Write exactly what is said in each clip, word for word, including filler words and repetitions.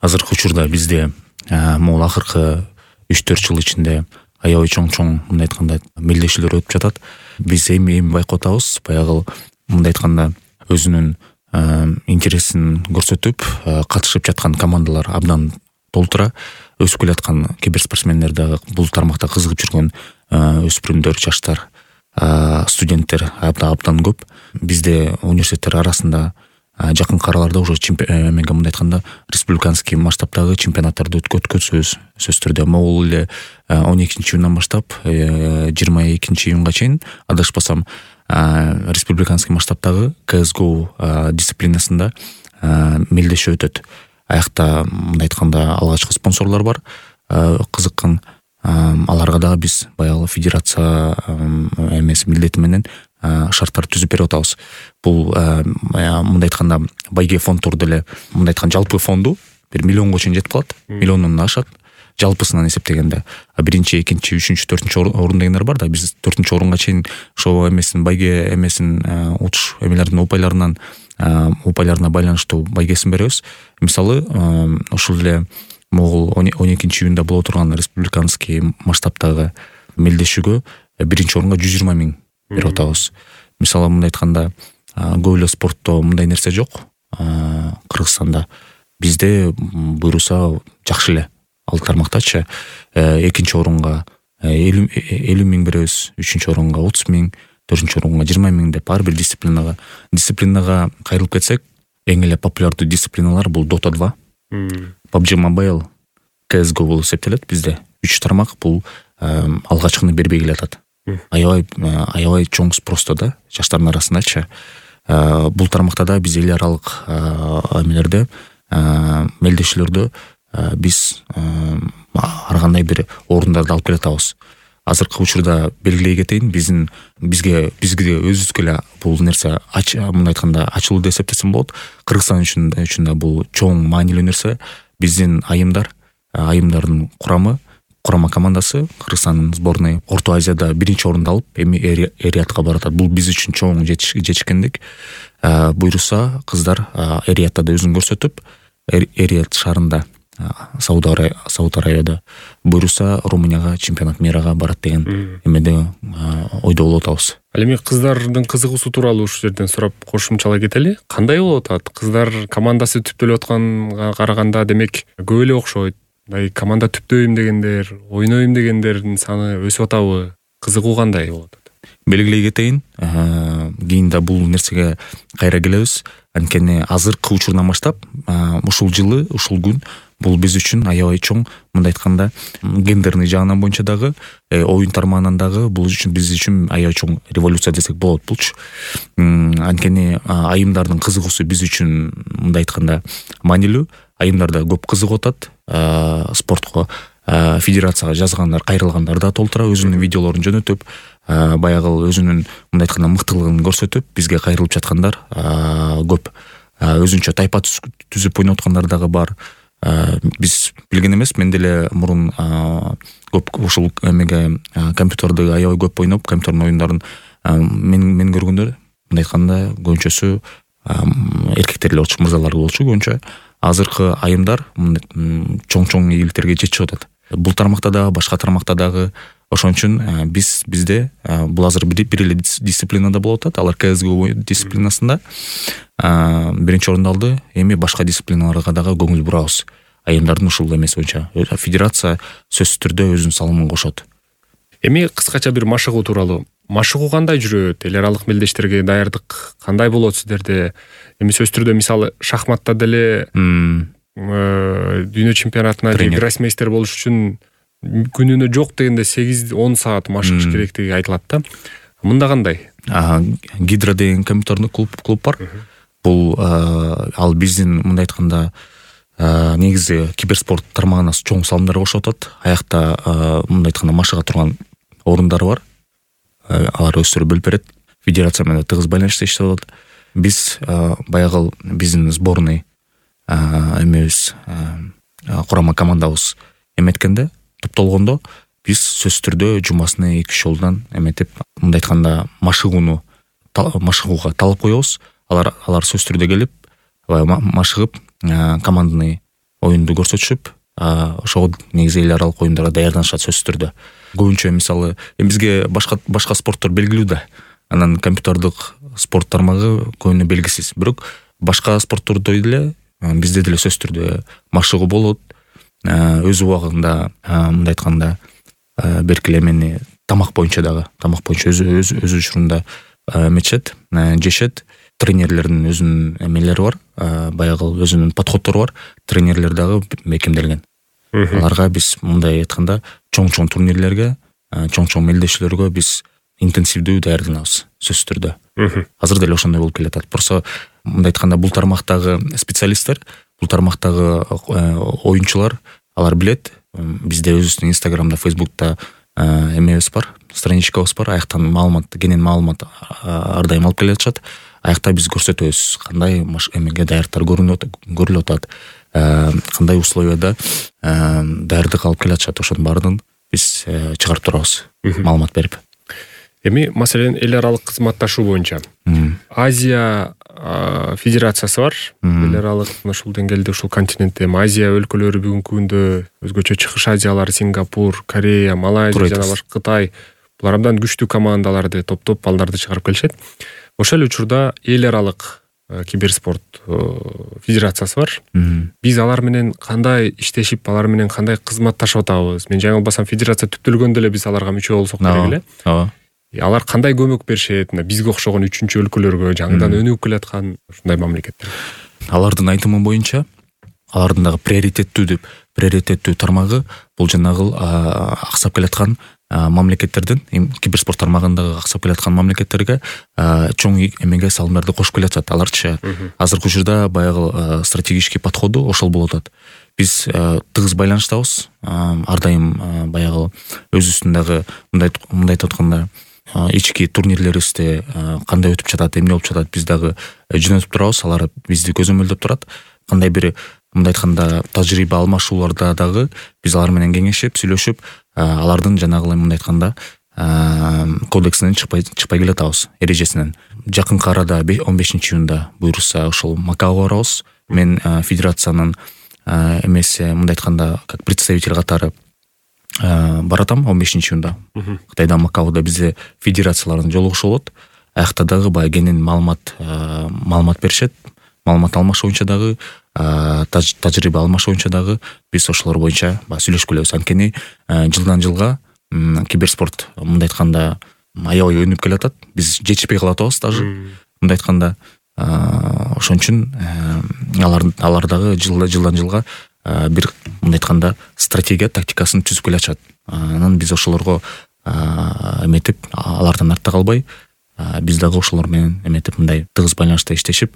азыркы учурда бизде могул акыркы үч төрт жыл ичинде аябай чоң чоң мындай айтканда мелдешүүлөр өтүп жатат. Биз эми эми байкап атабыз, баягы мындай айтканда өзүнүн интересин көрсөтүп катышып жаткан командалар абдан толтура. Өсүп келаткан киберспортсмендер дагы, бул тармакта кызыгып жүргөн өспүрүмдөр, жаштар, студенттер абдан көп. Бизде университеттер арасында жакынкы араларда уже эмеге мындай айтканда республиканский масштабтагы чемпионаттарды өткөзөбүз. Сөзсүз түрдө могул эле он экинчи июндан баштап жыйырма экинчи июнга чейин адашпасам республиканский масштабтагы си эс го дисциплинасында мелдешүү өтөт. Аякта мындай айтканда алгачкы спонсорлор бар. Кызыккан аларга дагы биз баягы федерация эмеси милдети менен шарттар түзүп берип атабыз. Бул мындай айтканда байге фонддор деле мындай айткан жалпы фонду бир миллионго чейин жетип калат. Миллиондон ашат жалпысынан эсептегенде. Биринчи, экинчи, үчүнчү, төртүнчү орун дегендер бар да, биз төртүнчү орунга чейин ошо эмесин байге эмесин утуш эмелердин упайларынан упайларына байланыштуу байгесин беребиз. Мисалы, ушул эле могул он экинчи июнда боло турган республиканский масштабтагы мелдешүүгө биринчи орунга жүз жыйырма миң берип атабыз. Мисалы, мындай айтканда көп эле спортто мындай нерсе жок. Кыргызстанда бизде буйруса жакшы эле. Ал тармактачы экинчи орунга элүү миң беребиз, үчүнчү орунга отуз миң, төртүнчү орунга жыйырма миң деп ар бир дисциплинага. Дисциплинага кайрылып кетсек, эң эле популярдуу дисциплиналар бул Dota два, пабжи Mobile, си эс го болуп эсептелет бизде. Үч тармак бул алгачкыны бербей келатат. Аябай аябай чоң спросто да жаштардын арасындачы. Бул тармакта да биз эл аралык эмелерде мелдешүүлөрдө биз ар кандай бир орундарды алып келатабыз. Азыркы учурда белгилей кетейин, биздин бизге бизге өзүбүзгө эле бул нерсе мындай айтканда ачылуу деп эсептесем болот. Кыргызстан үчүн үчүн да бул чоң маанилүү нерсе. Биздин айымдар, айымдардын курамы, курама командасы Кыргызстандын сборной Орто Азияда биринчи орунду алып, эми эриятка баратат. Бул биз үчүн чоң жетишкендик. Буйруса кыздар эриятта да өзүн көрсөтүп, Эрият шаарында Сауд Арабияда буйруса Румынияга чемпионат мирага барат деген эмеде ойдо болуп атабыз. Ал эми кыздардын кызыгуусу тууралуу ушул жерден сурап кошумчалай кетели. Кандай болуп атат? Кыздар командасы түптөлүп атканга караганда демек көп эле окшойт. Мындай команда түптөйм дегендер, ойнойм дегендердин саны өсүп атабы? Кызыгуу кандай болуп атат? Белгилей кетейин, кийин да бул нерсеге кайра келебиз. Анткени азыркы учурдан баштап ушул жылы, ушул күн бул биз үчүн аябай чоң, мындай айтканда гендерный жагынан боюнча дагы, оюн тармагынан дагы бул үчүн биз үчүн аябай чоң революция десек болот булчу. Анткени айымдардын кызыгуусу биз үчүн мындай айтканда маанилүү. Айымдар да көп кызыгып атат спортко. Федерацияга жазгандар, кайрылгандар да толтура, өзүнүн видеолорун жөнөтүп, баягы өзүнүн мындай айтканда мыктылыгын көрсөтүп, бизге кайрылып жаткандар көп. Өзүнчө тайпа түзүп ойноп аткандар дагы бар. Биз билген эмес, мен деле мурун көп ушул эмеге компьютерди аябай көп ойноп, компьютердин оюндарын мен мен көргөндөр мындай айтканда көбүнчөсү эркектер эле болчу, мырзалар болчу көбүнчө. Азыркы айымдар чоң-чоң ийгиликтерге жетишип атат. Бул тармакта дагы, башка тармакта дагы. Ошон үчүн биз бизде бул азыр бир эле дисциплинада болуп атат. Алар си эс го дисциплинасында биринчи орунду алды. Эми башка дисциплиналарга дагы көңүл бурабыз. Айымдардын ушул эмеси боюнча федерация сөзсүз түрдө өзүнүн салымын кошот. Эми кыскача бир машыгуу тууралуу. Машыгуу кандай жүрөт? Эл аралык мелдештерге даярдык кандай болот сиздерде? Эми сөзсүз түрдө мисалы шахматта деле дүйнө чемпионатына же гроссмейстер болуш үчүн күнүнө жок дегенде сегиз он саат машыгыш керектиги айтылат да. Мында кандай? Гидра деген компьютердик клуб клуб бар. Бул ал биздин мындай айтканда негизи киберспорт тармагына чоң салымдар кошуп атат. Аякта мындай айтканда машыга турган орундар бар. Алар өздөрү бөлүп берет. Федерация менен тыгыз байланышта иштеп атат. Биз баягы биздин сборный эмебиз курама командабыз эметкенде, топтолгондо биз сөзсүз түрдө жумасына эки үч жолдон эметип, мындай айтканда машыгууну машыгууга талап коебуз. Алар алар сөзсүз түрдө келип, машыгып командный оюнду көрсөтүшүп ошого негизи эл аралык оюндарга даярданышат сөзсүз түрдө. Көбүнчө мисалы эми бизге башка башка спорттор белгилүү да. Анан компьютердик спорт тармагы көбүнө белгисиз. Бирок башка спорттордой деле бизде деле сөзсүз түрдө машыгуу болот. Өз убагында мындай айтканда берки эле эмени тамак боюнча дагы, тамак боюнча өз өз өз учурунда эметишет, жешет. Тренерлердин өзүнүн эмелери бар, баягы өзүнүн подходдору бар. Тренерлер дагы бекемделген. Аларга биз мындай айтканда чоң-чоң турнирлерге, чоң-чоң мелдешүүлөргө биз интенсивдүү даярданабыз сөзсүз түрдө. Азыр деле ошондой болуп келатат. Просто мындай айтканда бул тармактагы специалисттер, бул тармактагы оюнчулар алар билет. Бизде өзүбүздүн Инстаграмда, Фейсбукта эмебиз бар, страничкабыз бар. Аяктан маалымат, кенен маалымат ар дайым алып келе жатышат. Аякта биз көрсөтөбүз кандай эмеге даярдыктар көрүлүп атат, кандай условияда даярдык алып келе жатышат. Ошонун баардыгын биз чыгарып турабыз, маалымат берип. Эми маселен эл аралык кызматташуу боюнча Азия федерациясы бар. Эл аралык ушул деңгээлде ушул континентте Азия өлкөлөрү бүгүнкү күндө өзгөчө чыгыш Азиялар, Сингапур, Корея, Малайзия жана башка Кытай булар абдан күчтүү командаларды, топ-топ балдарды чыгарып келишет. Ошол учурда эл аралык киберспорт федерациясы бар. Биз алар менен кандай иштешип, алар менен кандай кызматташып атабыз? Мен жаңылбасам федерация түптөлгөндө эле биз аларга мүчө болсок керек эле. Ооба. Алар кандай көмөк беришет? Бизге окшогон үчүнчү өлкөлөргө, жаңыдан өнүгүп келаткан ушундай мамлекеттер. Алардын айтымы боюнча, алардын дагы приоритеттүү деп, приоритеттүү тармагы бул жанагы аксап келаткан мамлекеттердин, киберспорт тармагындагы аксап келаткан мамлекеттерге чоң эмеге салымдарды кошуп келатат. Аларчы азыркы учурда баягы стратегический подходу ошол болуп атат. Биз тыгыз байланыштабыз. Ар дайым баягы өзүбүздүн мындай мындай айтканда ички турнирлерибизде кандай өтүп жатат, эмне болуп жатат, биз дагы жөнөтүп турабыз. Алар бизди көзөмөлдөп турат. Кандай бир мындай айтканда тажрыйба алмашууларда дагы биз алар менен кеңешип, сүйлөшүп, алардын жанагы мындай айтканда кодексинен чыкпай чыкпай келатабыз, эрежесинен. Жакынкы арада он бешинчи июнда буйрса ошол Макаого барабыз. Мен федерациянын эмеси мындай айтканда как представитель катары баратам он бешинчи июнда. Кытайда Макаода бизде федерациялардын жолугушу болот. Аякта дагы баягы кенен маалымат маалымат беришет. Маалымат алмашуу боюнча дагы, тажрыйба алмашуу боюнча дагы биз ошолор боюнча сүйлөшүп келебиз. Анткени жылдан жылга киберспорт мындай айтканда аябай өнүгүп келатат. Биз жетишпей калып атабыз даже. Мындай айтканда ошон үчүн алар алар дагы жылдан жылга бир мындай айтканда стратегия, тактикасын түзүп келе жатат. Анан биз ошолорго эметип, алардан артта калбай, биз дагы ошолор менен эметип мындай тыгыз байланышта иштешип,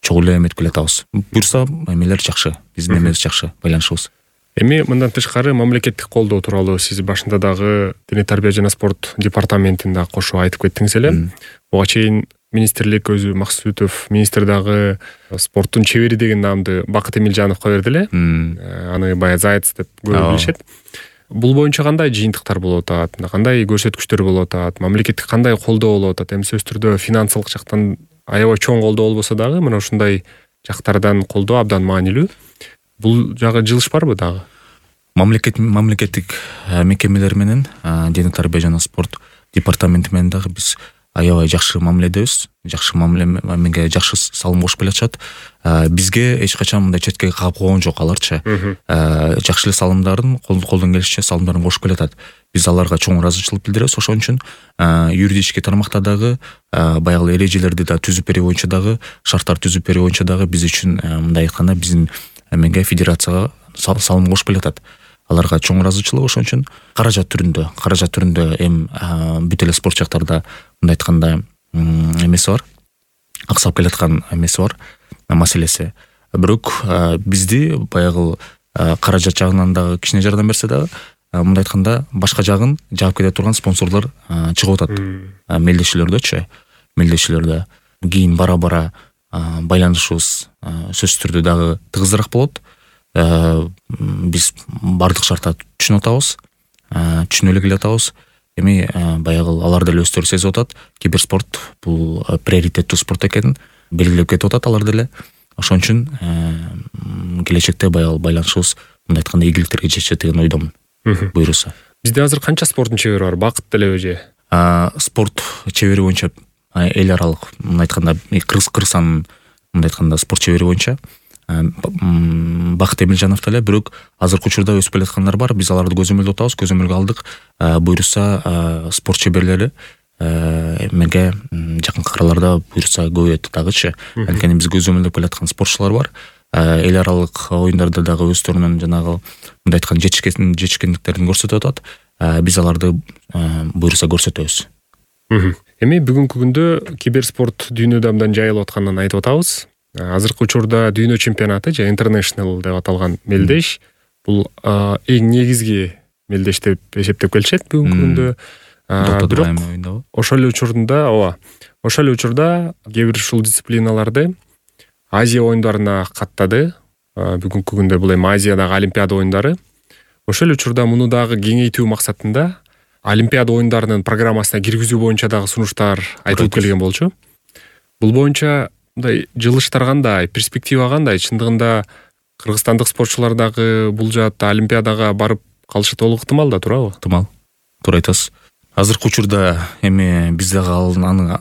чогуу эле эметип келе жатабыз. Буюрса эмелер жакшы, биздин эмебиз жакшы, байланышыбыз. Эми мындан тышкары мамлекеттик колдоо тууралуу сиз башында дагы Диний тарбия жана спорт департаментин дагы кошуп айтып кеттиңиз эле. Буга чейин министрлик өзү Максутов министр дагы спорттун чебери деген наамды Бакыт Эмилжановго берди эле. Аны баягы Заяц деп көп билишет. Бул боюнча кандай жыйынтыктар болуп атат, кандай көрсөткүчтөр болуп атат, мамлекеттик кандай колдоо болуп атат? Эми сөзсүз түрдө финансылык жактан аябай чоң колдоо болбосо дагы мына ушундай жактардан колдоо абдан маанилүү. Бул жагы жылыш барбы дагы? Мамлекет мамлекеттик мекемелер менен Диний тарбия жана спорт департаменти менен дагы биз аябай жакшы мамиледебиз. Жакшы мамилеге жакшы салым кошуп келе жатышат. Бизге эч качан мындай четке кагып койгон жок аларчы. Жакшы эле салымдарын, колдон келишинче салымдарын кошуп келе жатат. Биз аларга чоң ыраазычылык билдиребиз. Ошон үчүн юридический тармакта дагы баягы эрежелерди да түзүп берүү боюнча дагы, шарттар түзүп берүү боюнча дагы биз үчүн мындай айтканда биздин эмеге федерацияга салым кошуп келе жатат. Аларга чоң ыраазычылык. Ошон үчүн каражат түрүндө, каражат түрүндө эм бүт эле спорт жактарда мындай айтканда эмеси бар. Аксап келаткан эмеси бар, маселеси. Бирок бизди баягы каражат жагынан дагы кичине жардам берсе дагы, мындай айтканда башка жагын жаап кете турган спонсорлор чыгып атат. Мелдешүүлөрдөчү, мелдешүүлөрдө кийин бара-бара байланышыбыз сөзсүз түрдө дагы тыгызыраак болот. Биз бардык шарттарды түшүнүп атабыз, түшүнүп эле келатабыз. Эми баягы алар деле өздөрү сезип атат. Киберспорт бул приоритеттүү спорт экенин белгилеп кетип атат алар деле. ошон үчүн келечекте баягы байланышыбыз мындай айтканда ийгиликтерге жетишет деген ойдомун буюрса. Бизде азыр канча спорттун чебери бар? Бакыт делеби же? Спорт чебери боюнча эл аралык мындай айтканда Кыргызстандын мындай айтканда спорт чебери боюнча Бакыт Эмилжанов деле, бирок азыркы учурда өсүп келаткандар бар. Биз аларды көзөмөлдөп атабыз, көзөмөлгө алдык. Буюрса спорт чеберлери эмеге жакынкы араларда буюрса көбөйөт дагычы. Анткени биз көзөмөлдөп келаткан спортчулар бар. Эл аралык оюндарда дагы өздөрүнүн жанагы мындай айтканда жетишкен жетишкендиктерин көрсөтүп атат. Биз аларды буюрса көрсөтөбүз. Эми бүгүнкү күндө киберспорт дүйнөдө абдан жайылып атканын айтып атабыз. Азыркы учурда дүйнө чемпионаты же International деп аталган мелдеш бул эң негизги мелдеш деп эсептеп келишет бүгүнкү күндө. Бирок ошол эле учурда, ооба, ошол эле учурда кээ бир ушул дисциплиналарды Азия оюндарына каттады. Бүгүнкү күндө бул эми Азиядагы Олимпиада оюндары. Ошол эле учурда муну дагы кеңейтүү максатында Олимпиада оюндарынын программасына киргизүү боюнча дагы сунуштар айтылып келген болчу. Бул боюнча мындай жылыштар кандай, перспектива кандай? Чындыгында кыргызстандык спортчулар дагы бул жаатта Олимпиадага барып калышы толук ыктымал да, туурабы? Ыктымал. Туура айтасыз. Азыркы учурда эми биз дагы аны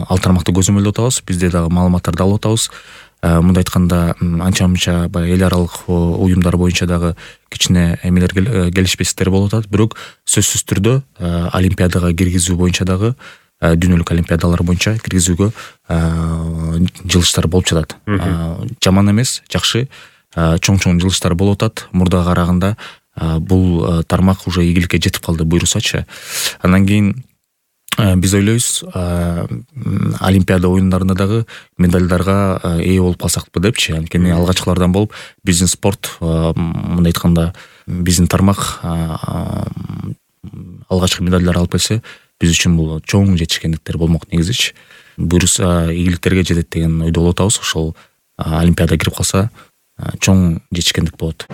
ал тармакты көзөмөлдөп атабыз. Бизде дагы маалыматтарды алып атабыз. Мындай айтканда анча-мынча баягы эл аралык уюмдар боюнча дагы кичине эмелер келишпестиктер болуп атат. Бирок сөзсүз түрдө Олимпиадага киргизүү боюнча дагы дүйнөлүк олимпиадалар боюнча киргизүүгө жылыштар болуп жатат. Жаман эмес, жакшы, чоң-чоң жылыштар болуп атат. Мурдага караганда бул тармак уже ийгиликке жетип калды буюрсачы. Андан кийин биз ойлойбуз, Олимпиада оюндарында дагы медальдарга ээ болуп калсакпы депчи. Анткени алгачкылардан болуп биздин спорт мындай айтканда биздин тармак алгачкы медальдар алып келсе, биз үчүн бул чоң жетишкендиктер болмок негизичи. Буюрса ийгиликтерге жетет деген ойдо болуп атабыз. Ошол Олимпиада кирип калса чоң жетишкендик болот.